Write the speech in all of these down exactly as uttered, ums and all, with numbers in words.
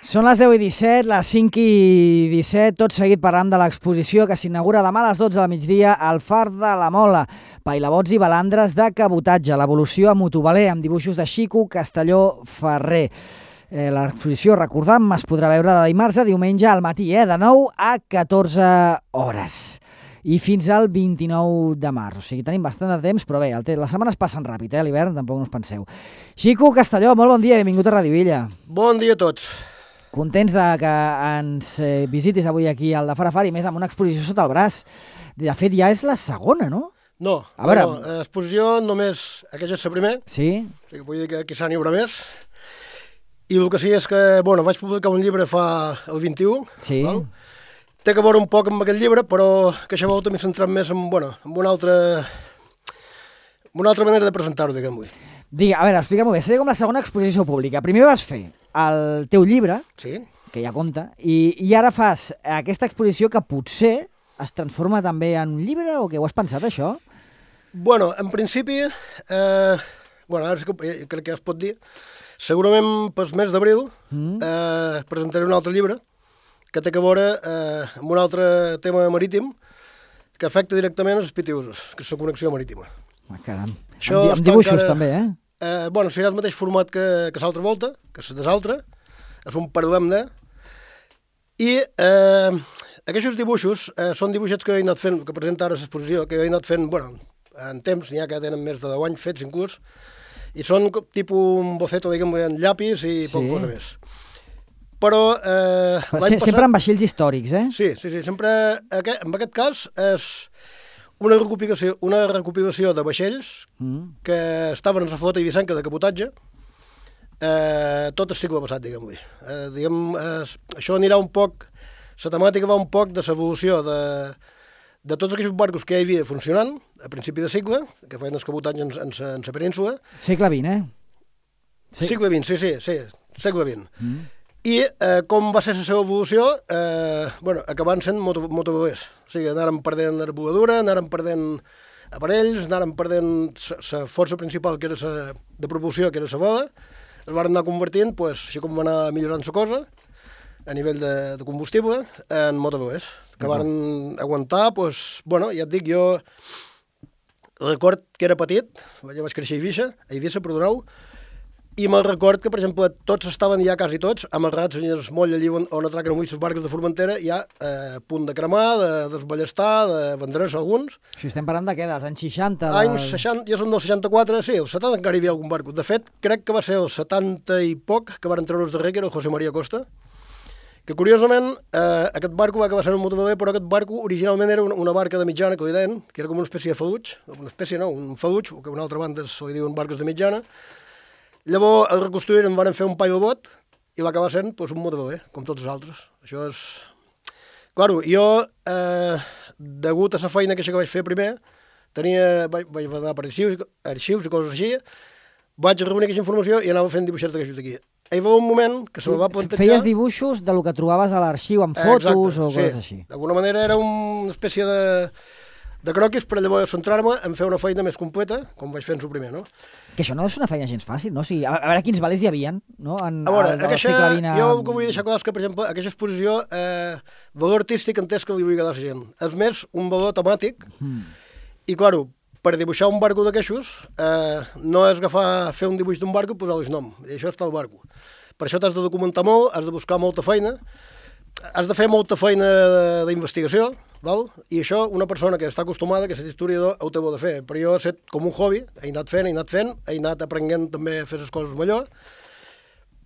Són les deu i disset, les cinc i disset, tot seguit parlant de l'exposició que s'inaugura demà a les dotze del migdia al Far de la Mola. Pailabots i balandres de cabotatge, l'evolució a motoveler amb dibuixos de Xico Castelló Ferrer. Eh, L'exposició, recordam, es podrà veure de dimarts a diumenge al matí, eh, de nou a catorze hores. I fins al vint-i-nou de març. O sigui, tenim bastant de temps, però bé, el te... les setmanes passen ràpid, eh, l'hivern, tampoc no us penseu. Xico Castelló, molt bon dia, benvingut a Radio Villa. Bon dia a tots. Contents de que ens eh, visitis avui aquí al de Far a Far i més amb una exposició sota el braç. De fet, ja és la segona, no? No, a veure... no, l'exposició només, aquesta és la primer. Sí? O sigui, vull dir que aquí s'ha n'hi haurà més. I el que sí és que, bueno, vaig publicar un llibre fa el vint-i-u. Sí. Val? Té que veure un poc amb aquest llibre, però que això volta m'he centrat més en, bueno, en una altra, una altra manera de presentar-ho, diguem-ho. Digue, a veure, explica-m'ho bé, seria com la segona exposició pública. Primer vas fer el teu llibre, sí, que ja compta, i, i ara fas aquesta exposició que potser es transforma també en un llibre, o què ho has pensat, això? Bueno, en principi, eh, bueno, ara sí que crec que ja es pot dir, segurament pel mes d'abril mm. eh, presentaré un altre llibre que té que veure eh, amb un altre tema marítim que afecta directament els pitiusos, que és la connexió marítima. Ah, caram. Això amb, amb dibuixos encara, també, eh? eh? Bueno, serà el mateix format que, que l'altra volta, que és desaltre, és un parlem de... I eh, aquests dibuixos eh, són dibuixets que he anat fent, que presenta ara l'exposició, que he anat fent, bueno, en temps, n'hi ha que tenen més de deu anys fets inclús, i són tipus un boceto, diguem, en llapis i sí. poc cosa més. Però eh, l'any passat... Sempre amb vaixells històrics, eh? Sí, sí, sí, sempre... Aquest, en aquest cas és una recopilació, una recopilació de vaixells mm. que estaven en la flota ibicenca de cabotatge eh, tot el segle passat, diguem-ho. Eh, diguem, eh, això anirà un poc... La temàtica va un poc de l'evolució de, de tots aquells barcos que hi havia funcionant a principi de segle, que feien el cabotatge en, en, en la península. Segle vint, eh? Sí. Segle vint, sí, sí, sí, segle vint. Mm. I eh, com va ser la seva evolució, eh, bueno, acabant sent moto, motovelers. O sigui, anàrem perdent arboladura, anàrem perdent aparells, anàrem perdent la força principal, que era sa, de propulsió, que era la vela, es van anar convertint, pues, així com va anar millorant la cosa, a nivell de, de combustible, en motovelers, que van uh-huh. aguantar, pues, bueno, ja et dic, jo record que era petit, jo vaig créixer a Eivissa, a Eivissa, perdoneu, i me'l record que, per exemple, tots estaven ja quasi tots amarrats en el moll allí on, on atraquen avui les barques de Formentera, ja eh, a punt de cremar, de desballestar, de vendre's alguns. Si estem parlant de què? Dels anys seixanta? Anys seixanta, jo som del seixanta-quatre, sí, el setanta encara hi havia algun barco. De fet, crec que va ser el setanta i poc que van treure els darrer, que era el José María Costa, que curiosament eh, aquest barco va acabar sent un motoveler, però aquest barco originalment era una, una barca de mitjana, que li deien, que era com una espècie de faluig, una espècie no, un faluig, o que una altra banda se li diuen barques de mitjana. Llavors el reconstruïren, van fer un pailobot i va acabar sent pues, un motoveler, com tots els altres. Això és... Claro, jo, eh, degut a la feina que, que vaig fer primer, tenia, vaig, vaig anar per arxius, arxius i coses així, vaig reunir aquesta informació i anava fent dibuixets d'aquests d'aquí. Hi va un moment que se me va plantejar... Feies dibuixos de lo que trobaves a l'arxiu, amb fotos eh, exacte, o coses sí. així. D'alguna manera era una espècie de, de croquis per llavors centrar-me en fer una feina més completa, com vaig fer-ho primer, no? Que això no és una feina gens fàcil, no? O sigui, a, a veure quins valers hi havia, no? En, a veure, al, aquesta, segle vint... jo el que vull deixar clar és que, per exemple, aquesta exposició, eh, valor artístic entès que li vull quedar a la gent. És més un valor temàtic, mm. i, claro, per dibuixar un barco d'aquestos, eh, no és agafar, fer un dibuix d'un barco i posar-li nom, i això està el barco. Per això t'has de documentar molt, has de buscar molta feina, has de fer molta feina d'investigació, val? I això una persona que està acostumada, que és historiador, ho té bo de fer. Però jo he set com un hobby, he anat fent, he anat fent, he anat aprenent també a fer les coses millor,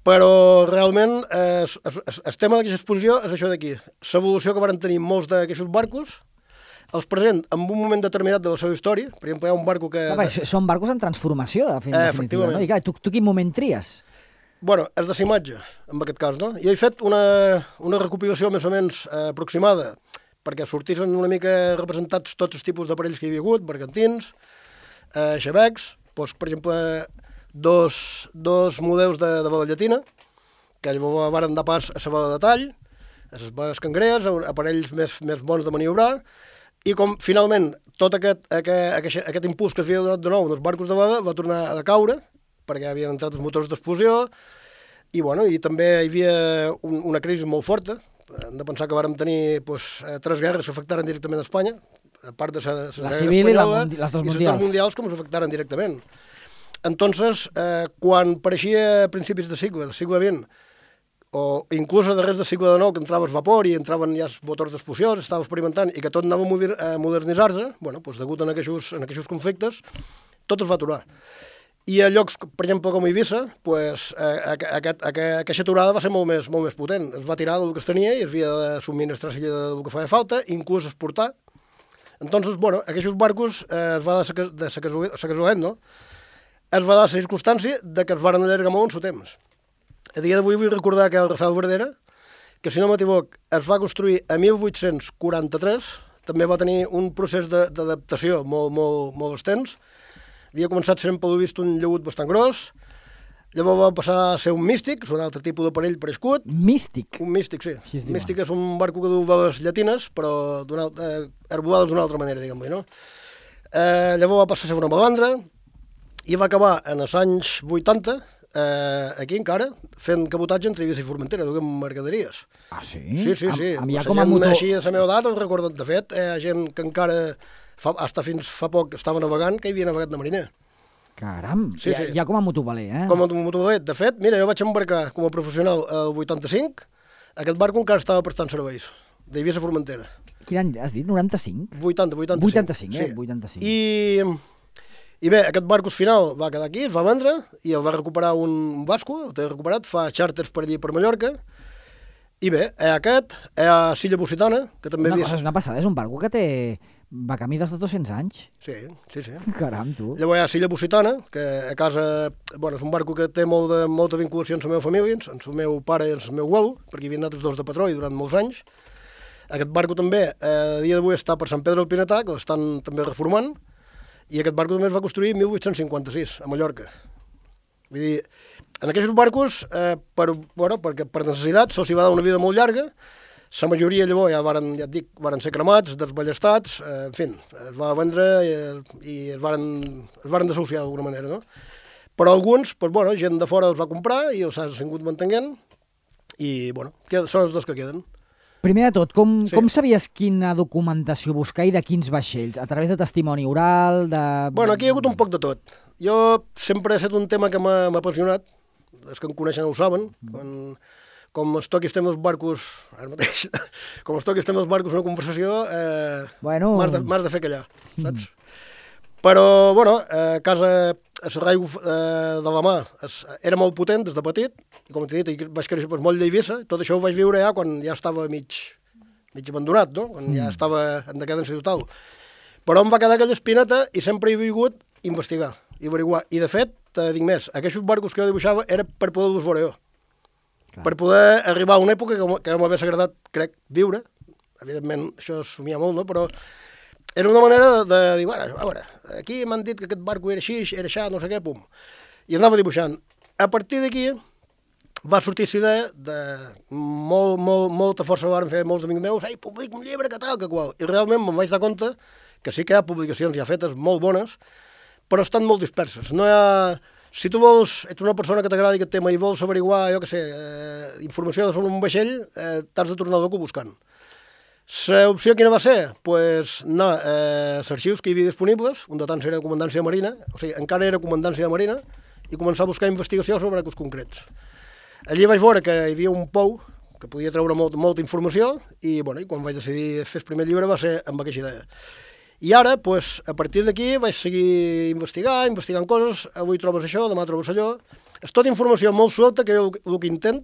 però realment eh, el tema d'aquesta exposició és això d'aquí. L'evolució que van tenir molts d'aquests barcos, els present en un moment determinat de la seva història. Per exemple, hi ha un barco que... Ah, són barcos en transformació, de fet, eh, definitiva, no? I clar, tu, tu quin moment tries? Bueno, és de la imatge, en aquest cas, no? Jo he fet una, una recopilació més o menys eh, aproximada, perquè sortissin una mica representats tots els tipus d'aparells que hi havia hagut, bergantins, eh, xavecs, doncs, per exemple, dos, dos models de, de vela llatina, que llavors van dar pas a la vela de tall, a les veles cangrees, aparells més, més bons de maniobrar, i com finalment tot aquest, aquest, aquest, aquest impuls que s'havia donat de nou en els barcos de vela va tornar a caure, perquè havien entrat els motors d'explosió, I, bueno, i també hi havia un, una crisi molt forta. Hem de pensar que vàrem tenir pues, tres guerres que afectaren directament a Espanya, a part de la, la civil i la mundi les dos i mundials. I les dos mundials que ens afectaren directament. Entonces, eh, quan pareixia a principis de segle, del segle vint, o inclús a darrers del segle dinou, que entraves vapor i entraven ja els motors d'explosió, estava experimentant i que tot anava a modernitzar-se, bueno, doncs, degut a aquests, en aquests conflictes, tot es va aturar. I a llocs, per exemple, com Eivissa, pues, aquest, aquest, aquesta aturada va ser molt més, molt més potent. Es va tirar del que es tenia i es havia de subministrar del que feia falta, inclús exportar. Entonces, bueno, aquests barcos eh, es va dar de sa casualitat, no? Es va dar la circumstància de que es van allargar molt en el temps. A dia d'avui vull recordar que el Rafael Verdera, que si no m'equivoc, es va construir a mil vuit-cents quaranta-tres, també va tenir un procés d'adaptació molt, molt, molt extens. Havia començat sent, pel vist, un llaüt bastant gros, llavors va passar a ser un místic, és un altre tipus d'aparell parescut. Místic? Un místic, sí. Un místic és un barco que du veles llatines, però eh, arbolades d'una altra manera, diguem-li, no? Eh, llavors va passar a ser una malandra i va acabar en els anys vuitanta, eh, aquí encara, fent cabotatge entre Eivissa i Formentera, duguem mercaderies. Ah, sí? Sí, sí, sí. Amb, amb la com a gent motor... així de la meva edat, el recordo. De fet, hi ha gent que encara... Fa, hasta fins fa poc estava navegant, que hi havia navegat de mariner. Caram, sí, sí. Ja, ja com a motovaler, eh? Com a motovaler. De fet, mira, jo vaig embarcar com a professional el vuitanta-cinc, aquest barco encara estava prestant serveis, d'Eivissa a Formentera. Quin any has dit? noranta-cinc? vuitanta, vuitanta-cinc. vuitanta-cinc, eh? Sí. vuitanta-cinc. I, I bé, aquest barco final va quedar aquí, es va vendre, i el va recuperar un basco, el té recuperat, fa xàrters per allí, per Mallorca. I bé, hi ha aquest, hi ha Silla Positana, que també... Una havia... cosa, és una passada, és un barco que té... va camí dels dos-cents anys. Sí, sí, sí. Caram, tu. Llavors hi ha Silla Positana, que a casa... Bueno, és un barco que té molt de, molta vinculació amb la meva família, amb el meu pare i amb el meu abuelo, perquè hi havien anat els dos de patró i durant molts anys. Aquest barco també, eh, a dia d'avui, està per Sant Pedro del Pinetà, que l'estan també reformant, i aquest barco també es va construir en mil vuit-cents cinquanta-sis, a Mallorca. Vull dir, en aquests barcos, eh, per, bueno, perquè per necessitat, se'ls va dar una vida molt llarga. La majoria llavors ja varen, ja et dic, varen ser cremats, desballestats, eh, en fi, es va vendre i, i es varen, es varen desahuciar d'alguna manera, no? Però alguns, pues, bueno, gent de fora els va comprar i els ha sigut mantenint i, bueno, són els dos que queden. Primer de tot, com, sí. com sabies quina documentació buscar i de quins vaixells? A través de testimoni oral, de... Bueno, aquí hi ha hagut un poc de tot. Jo sempre he estat un tema que m'ha apassionat, els que em coneixen ho saben, quan... Com es toqui estem els barcos, ara mateix, com es toqui estem els barcos una conversació, eh, bueno... m'has de, de fer callar, saps? Mm. Però, bueno, a casa, a Serraiu eh, de la mà, es, era molt potent des de petit, i com t'he dit, vaig créixer per molt d'Eivissa, tot això ho vaig viure ja quan ja estava mig, mig abandonat, no? Quan mm. ja estava en decadència total. Però em va quedar aquella espineta i sempre he vingut investigar, i averiguar. I, de fet, te dic més, aquests barcos que jo dibuixava era per poder-los veure jo. Per poder arribar a una època que, que m'hagués agradat, crec, viure. Evidentment, això es somia molt, no? Però era una manera de, de dir, bueno, a veure, aquí m'han dit que aquest barco era així, era això, no sé què, pum. I anava dibuixant. A partir d'aquí va sortir la idea de molt, molt, molta força van fer molts amics meus, ei, publica un llibre, que tal, que qual. I realment me'n vaig dar compte que sí que hi ha publicacions ja fetes molt bones, però estan molt disperses. No hi ha... Si tu vols, ets una persona que t'agrada aquest tema i vols averiguar, jo què sé, eh, informació sobre un vaixell, eh, t'has de tornar al docu buscant. L'opció quina va ser? Doncs pues, anar eh, als arxius que hi havia disponibles, un de tants era Comandància de Marina, o sigui, encara era Comandància de Marina, i començar a buscar investigació sobre aquells concrets. Allí vaig veure que hi havia un pou que podia treure molt, molta informació, i, bueno, i quan vaig decidir fer el primer llibre va ser amb aquesta idea. I ara, pues, a partir d'aquí, vaig seguir investigant, investigant coses, avui trobes això, demà trobes allò. És tota informació molt suelta que jo el que intent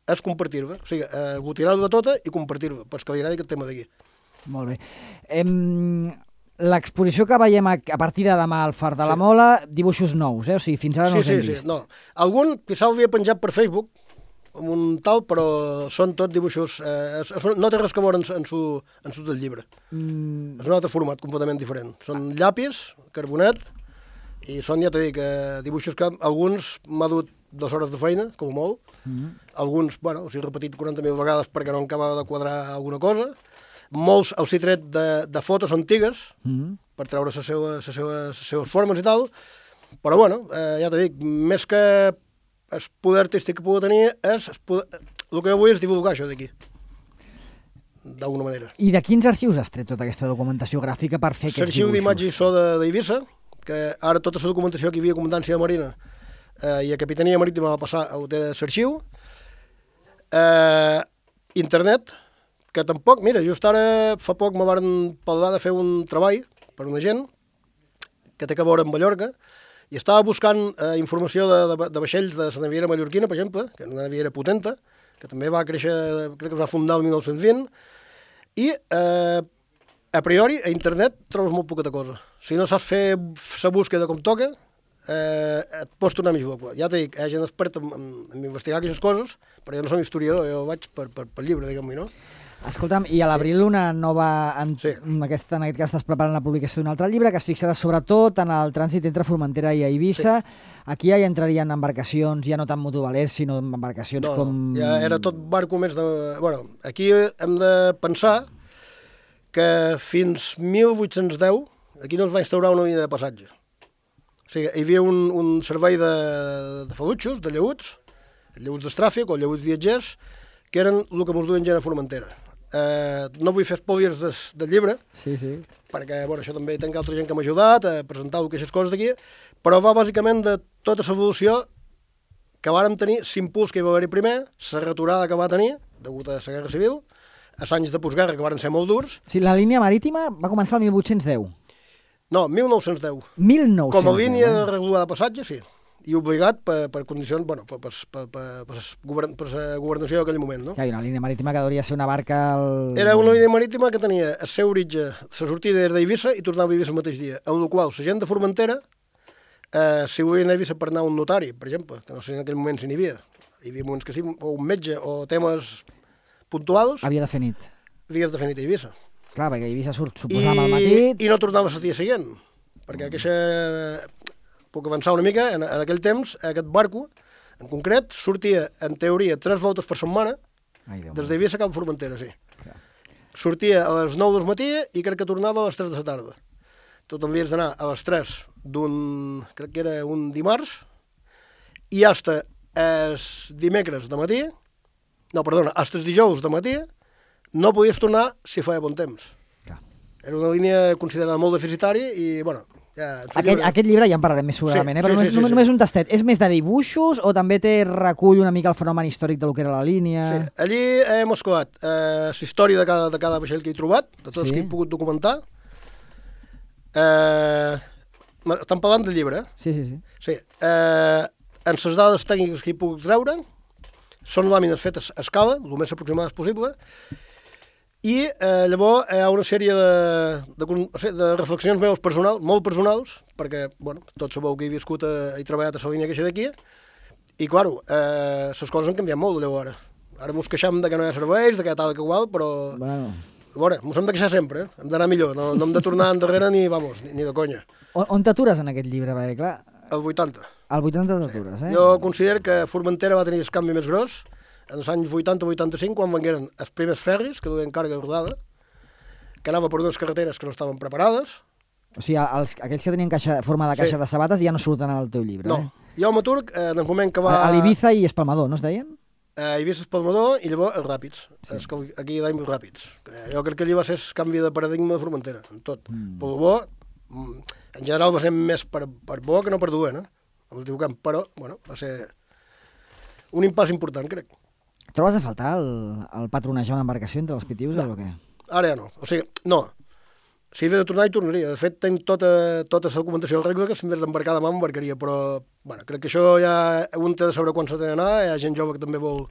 és compartir-la, o sigui, aglutinar-la de tota i compartir-la, perquè li agradi aquest tema d'aquí. Molt bé. Em... L'exposició que veiem a, a partir de demà al Far de la sí. Mola, dibuixos nous, eh? O sigui, fins ara no sí, els hem sí, vist. Sí, no. Algun quizà l'havia penjat per Facebook, amb un tal, però són tot dibuixos... Eh, és, no té res que veure en, en, su, en su del llibre. Mm. És un altre format completament diferent. Són llapis, carbonet, i són, ja t'he dit, eh, dibuixos que alguns m'ha dut dues hores de feina, com a molt. Mm. Alguns, bueno, els he repetit quaranta mil vegades perquè no acabava de quadrar alguna cosa. Molts els he tret de, de fotos antigues, mm. per treure les seves, les seves, les seves formes i tal. Però, bueno, eh, ja t'he dit, més que el poder artístic que pugui tenir és... El, poder, el que jo vull és divulgar això d'aquí, d'alguna manera. I de quins arxius has tret tota aquesta documentació gràfica per fer aquests dibuixos? L'arxiu d'imatge i so d'Eivissa, que ara tota la documentació que hi havia a Comandància de Marina eh, i a Capitania Marítima va passar a l'arxiu. Eh, internet, que tampoc, mira, just ara fa poc me van parlar de fer un treball per una gent que té que veure amb Mallorca i estava buscant eh, informació de, de, de vaixells de la naviera mallorquina, per exemple, que és una naviera potenta, que també va créixer, crec que es va fundar el mil nou-cents vint, i eh, a priori a internet trobes molt poqueta cosa. Si no saps fer la búsqueda com toca, eh, et pots tornar més loco. Ja t'he dit, hi ha gent experta en, en, en investigar aquestes coses, però jo no som historiador, jo vaig per, per, per llibre, diguem-ne, no? Escolta'm, i a l'abril una nova... En, sí. en, aquest, en aquest cas estàs preparant la publicació d'un altre llibre que es fixarà sobretot en el trànsit entre Formentera i Eivissa. Sí. Aquí ja hi entrarien embarcacions, ja no tant motovalers, sinó embarcacions no, com... No, ja era tot barco més de... Bueno, aquí hem de pensar que fins mil vuit-cents deu aquí no es va instaurar una línia de passatge. O sigui, hi havia un, un servei de, de falutxos, de lleuts, lleuts d'estràfic o lleuts viatgers, que eren el que ens duen gent a Formentera. Eh, no vull fer spoilers del, del llibre, sí, sí. perquè bueno, això també tenc altra gent que m'ha ajudat a presentar aquestes coses d'aquí, però va bàsicament de tota l'evolució que vàrem tenir, l'impuls que hi va haver primer, la returada que va tenir, degut a la Guerra Civil, els anys de postguerra que van ser molt durs. Sí, la línia marítima va començar el mil vuit-cents deu. No, mil nou-cents deu. mil nou-cents deu. Com a línia eh? regular de passatge, sí. I obligat per, per condicions, bueno, per, per, per, per, per, govern, per la governació d'aquell moment, no? Hi ha una línia marítima que hauria ser una barca... Al... Era una línia marítima que tenia el seu oritge, la sortida era d'Eivissa i tornava a Eivissa el mateix dia, en el qual la gent de Formentera, eh, si volien a Eivissa per anar a un notari, per exemple, que no sé en aquell moment si n'hi havia, hi havia moments que sí, o un metge, o temes puntuals... Havia de fer nit. Havies de fer nit a Eivissa. Clar, perquè Eivissa surt, suposàvem, al matí... I no tornaves el dia següent, perquè aquesta... Puc avançar una mica, en, en aquell temps, aquest barco, en concret, sortia, en teoria, tres voltes per setmana, Ai, des d'Eivissa cap a Formentera, sí. Clar. Sortia a les nou del matí i crec que tornava a les tres de la tarda. Tu també havies d'anar a les tres d'un, crec que era un dimarts, i hasta els dimecres de matí, no, perdona, hasta els dijous de matí, no podies tornar si feia bon temps. Clar. Era una línia considerada molt deficitària i, bueno... Ja, aquest, llibre... aquest llibre ja en parlarem més segurament, sí, eh? Però sí, sí, només, sí, només sí. un tastet. És més de dibuixos o també té recull una mica el fenomen històric del que era la línia? Sí, allí hem escolat eh, la història de cada, de cada vaixell que he trobat, de tots sí. que he pogut documentar. Eh, estan parlant del llibre, eh? Sí, sí, sí. sí eh, en les dades tècniques que he pogut treure, són làmines fetes a escala, el més aproximades possible, i eh, llavors hi ha una sèrie de, de, de, de reflexions meves personals, molt personals, perquè, bueno, tots sabeu que he viscut a, he treballat a la línia queixa d'aquí, i, claro, eh, les coses han canviat molt, llavors. Ara mos queixem de que no hi ha serveis, de que tal, que igual, però... Bueno. A veure, mos hem de queixar sempre, eh? Hem d'anar millor, no, no hem de tornar endarrere ni, vamos, ni, ni de conya. On, on t'atures en aquest llibre, perquè, clar... El vuitanta. El vuitanta t'atures, sí. eh? Jo considero que Formentera va tenir el canvi més gros, en els anys vuitanta vuitanta-cinc, quan vengueren els primers ferris, que duien càrrega rodada, que anava per unes carreteres que no estaven preparades. O sigui, els, aquells que tenien caixa, forma de caixa sí. de sabates ja no surten al teu llibre, no. eh? No, jo m'aturc eh, en el moment que va... A, a l'Ibiza i Espalmador, no es deien? A Eivissa, Espalmador i llavors els Ràpids, sí. els que aquí hi ha els Ràpids. Jo crec que allà va ser el canvi de paradigma de Formentera, en tot. Mm. Per bo, en general va ser més per, per bo que no per dolent, eh? El teu camp, però, bueno, va ser un impàs important, crec. Trobes a faltar el, el patronejar una embarcació entre els pitius no, o què? Ara ja no. O sigui, no. Si hi havia de tornar, hi tornaria. De fet, tenc tota, tota la documentació del regla que si en vez d'embarcar demà m'embarcaria, però bueno, crec que això ja un té de saber quan s'ha d'anar, hi ha gent jove que també vol,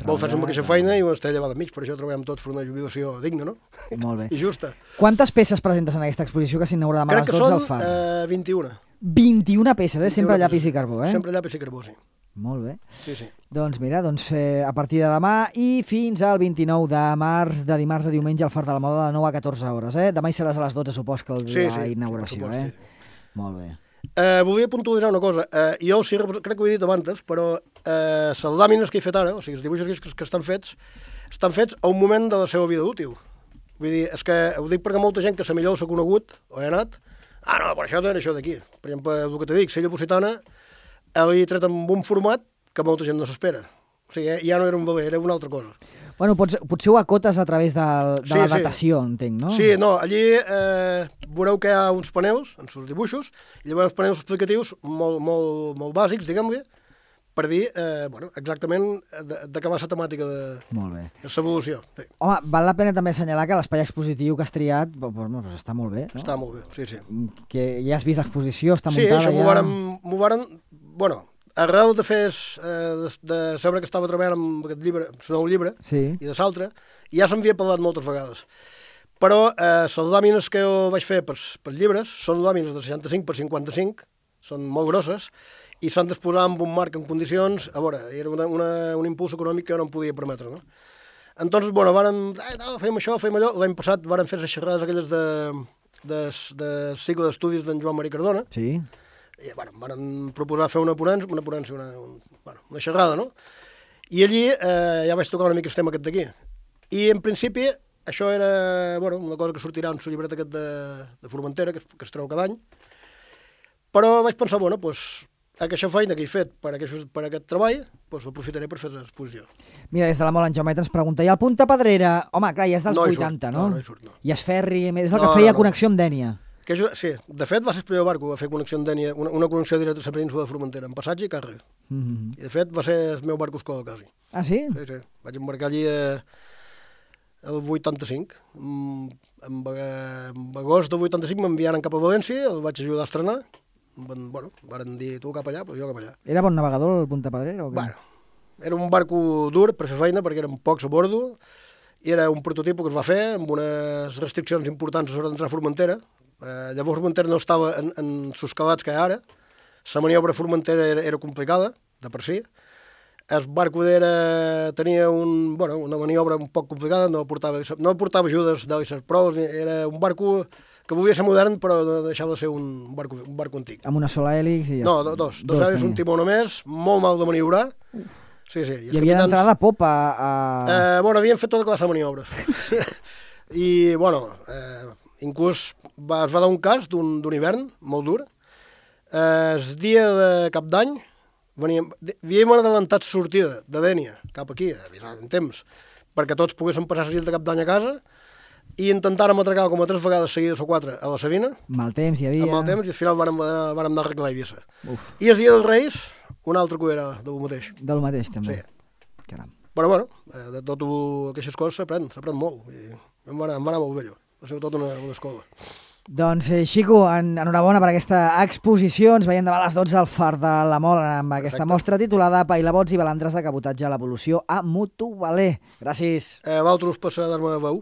vol fer-se amb aquesta feina i un està llevat enmig, per això treballem tots per una jubilació digna, no? Molt bé. I justa. Quantes peces presentes en aquesta exposició que s'inaugura demà a les dotze al Far? Crec que són eh, vint-i-una. vint-i-una peces, eh? Sempre llapis i carbó, eh? Sempre llapis i carbó, sí. Molt bé. Sí, sí. Doncs mira, doncs, eh, a partir de demà i fins al vint-i-nou de març, de dimarts a diumenge, al Far de la Moda, de nou a catorze hores. Eh? Demà hi seràs a les dotze, supos que el, sí, la sí, inauguració. Supos, eh? sí. Molt bé. Eh, volia puntualitzar una cosa. Eh, jo sí, crec que ho he dit abans, però eh, les làmines que he fet ara, o sigui, els dibuixos que, que estan fets, estan fets a un moment de la seva vida útil. Vull dir, és que ho dic perquè molta gent que se millor s'ha conegut o he anat, ah, no, per això no era això d'aquí. Per exemple, el que t'he dit, Sella Positana, he tret amb un format que molta gent no s'espera. O sigui, ja no era un veler, era una altra cosa. Bueno, pots, potser ho acotes a través de, de sí, la datació, sí. entenc, no? Sí, no, allí eh, veureu que hi ha uns panels, en els dibuixos, i llavors uns panels explicatius molt, molt, molt bàsics, diguem-ne, per dir eh, bueno, exactament de, de què va la temàtica de, molt bé. de l'evolució. Sí. Home, val la pena també assenyalar que l'espai expositiu que has triat pues, pues, està molt bé, no? Està molt bé, sí, sí. Que ja has vist l'exposició, està sí, muntada això ja... m'ho varen, m'ho varen, bueno, arrel de fer, eh, de, de saber que estava treballant amb aquest llibre, amb el nou llibre, sí. i de l'altre, ja s'havia parlat moltes vegades. Però eh, les làmines que jo vaig fer per, per llibres són làmines de seixanta-cinc per cinquanta-cinc, són molt grosses, i s'han d'exposar amb un marc en condicions, a veure, era una, una, un impuls econòmic que jo no em podia permetre, no? Entonces, bueno, vàrem, eh, no, fem això, fem allò, l'any passat vàrem fer les xerrades aquelles de, de, de cicle d'estudis d'en Joan Maria Cardona, sí. i, bueno, vàrem proposar fer una ponència, una ponència, una, un, bueno, una xerrada, no? I allí eh, ja vaig tocar una mica el tema aquest d'aquí. I, en principi, això era, bueno, una cosa que sortirà en el llibret aquest de, de Formentera, que, que es treu cada any, però vaig pensar, bueno, doncs, pues, aquesta feina que he fet per aquest, per aquest treball, doncs l'aprofitaré per fer l'exposició. Mira, des de la Mola en Jaumet ens pregunta, i el Punta Pedrera, home, clar, ja és dels no vuitanta, surt, no? No, no hi surt, no. I es ferri, és el no, que feia no, no. connexió amb Dènia. Que jo, sí, de fet va ser el primer barco que va fer connexió amb Dènia, una, una connexió directa a la península de Formentera, en passatge i càrrega. Mm -hmm. I de fet va ser el meu barco escola, quasi. Ah, sí? Sí, sí. Vaig embarcar allí eh, el vuitanta-cinc. En, en, en agost del vuitanta-cinc m'enviaren cap a València, el vaig ajudar a estrenar. Van, bueno, varen dir, tu cap allà, doncs jo cap allà. Era bon navegador el Punta Pedrera o què? Bueno, era un barco dur per fer feina, perquè eren pocs a bordo, i era un prototip que es va fer amb unes restriccions importants a l'hora d'entrar a Formentera. Eh, llavors Formentera no estava en, en sus calats que ara, la maniobra a Formentera era, era complicada, de per si. El barco era, tenia un, bueno, una maniobra un poc complicada, no portava, no portava ajudes d'alisses pros, era un barco que volia ser modern, però no deixava de ser un barco, un barco antic. Amb una sola hèlix i... No, dos. Dos, dos hèlix, un timó només, molt mal de maniobrar. Sí, sí. I, I havia d'entrar de popa a... Eh, bueno, havien fet tota classe de maniobres. I, bueno, eh, inclús va, es va dar un cas d'un hivern molt dur. Eh, el dia de cap d'any, havíem adelantat sortida de Dènia cap aquí, avisat en temps, perquè tots poguessin passar la nit de cap d'any a casa, i intentàrem atracar com a tres vegades seguides o quatre a la Sabina. Mal temps hi havia. Amb mal temps, i al final vàrem, vàrem anar a arreglar Eivissa. I el dia dels Reis, una altra cuera del mateix. Del mateix, també. Sí. Caram. Però, bueno, de totes aquestes coses s'aprèn, s'aprèn molt. I em va, anar, em va anar molt bé, allò. Va ser tot una, una escola. Doncs, eh, Xico, en, enhorabona per aquesta exposició. Ens veiem demà a les dotze al Far de la Mola amb aquesta Perfecte. Mostra titulada Pailabots i balandres de cabotatge a l'evolució a Motovaler. Gràcies. Eh, Valtros per dar-me veu.